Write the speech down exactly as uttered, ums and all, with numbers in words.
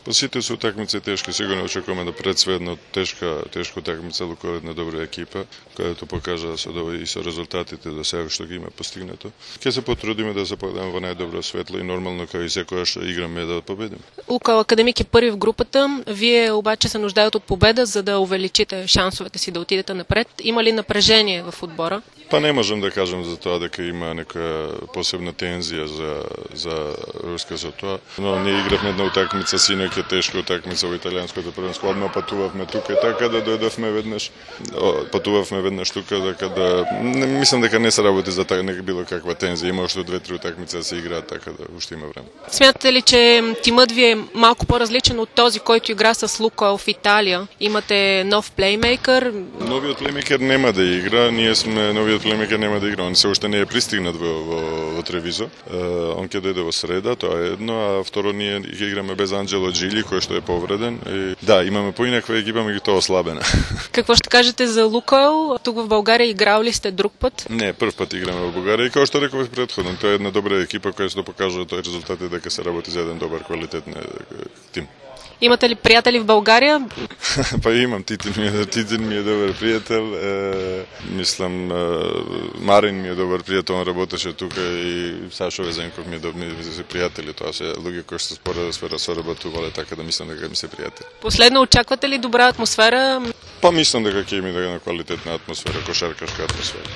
Па сите се утакмици тешки, сигурно очекуваме да пред све една тешка, тешка утакмица, Луковит на добра екипа, кајато покажа со и со резултатите до сега што ги има постигнато. Ќе се потрудиме да се подадеме во најдобро светло и нормално кај и секојаш играме да победиме. Лукойл Академик е први в групата, вие обаче се нуждаат од победа за да увеличите шансовете си да отидете напред. Има ли напрежение в одбора? Па не можам да кажам за тоа дека има некоја посебна тензија за за руска за тоа, но ние игравме една утакмица синоќ, тешка утакмица во италијанското првенство, одма патувавме тука, така да дојдовме веднаш, патувавме веднаш тука, така да не, мислам дека не се работи за така нека било каква тензија, има уште две-три утакмици да се играат, така да уште има време. Смятате ли, че тимът ви е малку по-различен от този, който игра с Лукойл в Италија? Имате нов плеймейкър? Новиот плеймейкър нема да игра, ние сме новиот плеймейкър нема да игра, он се уште не е пристигнат во, во, во Тревизо. Uh, он ќе дојде во среда, тоа е едно, а второ ние ќе играме без Анджело Джили, кој што е повреден. И, да, имаме поинаква екипа, меѓутоа ослабена. Какво ще кажете за Лукойл? Тук в България играл ли сте друг път? Не, прв пат играме во Бугарија и како што реков претходно, тоа е една добра екипа која што покажува тој резултат и дека се работи за еден добар квалитетен тим. Имате ли приятели в България? Па имам, Титин ми е, Титин ми е добар пријател, е, мислам, е, Марин ми е добар пријател, он работеше тука и Сашо Везенков ми е добар пријатели, тоа се луѓе кои што спора сфера соработувале, така да мислам дека ми се пријатели. Последно, очаквате ли добра атмосфера? Па мислам дека ќе има една квалитетна атмосфера, кошаркашка атмосфера.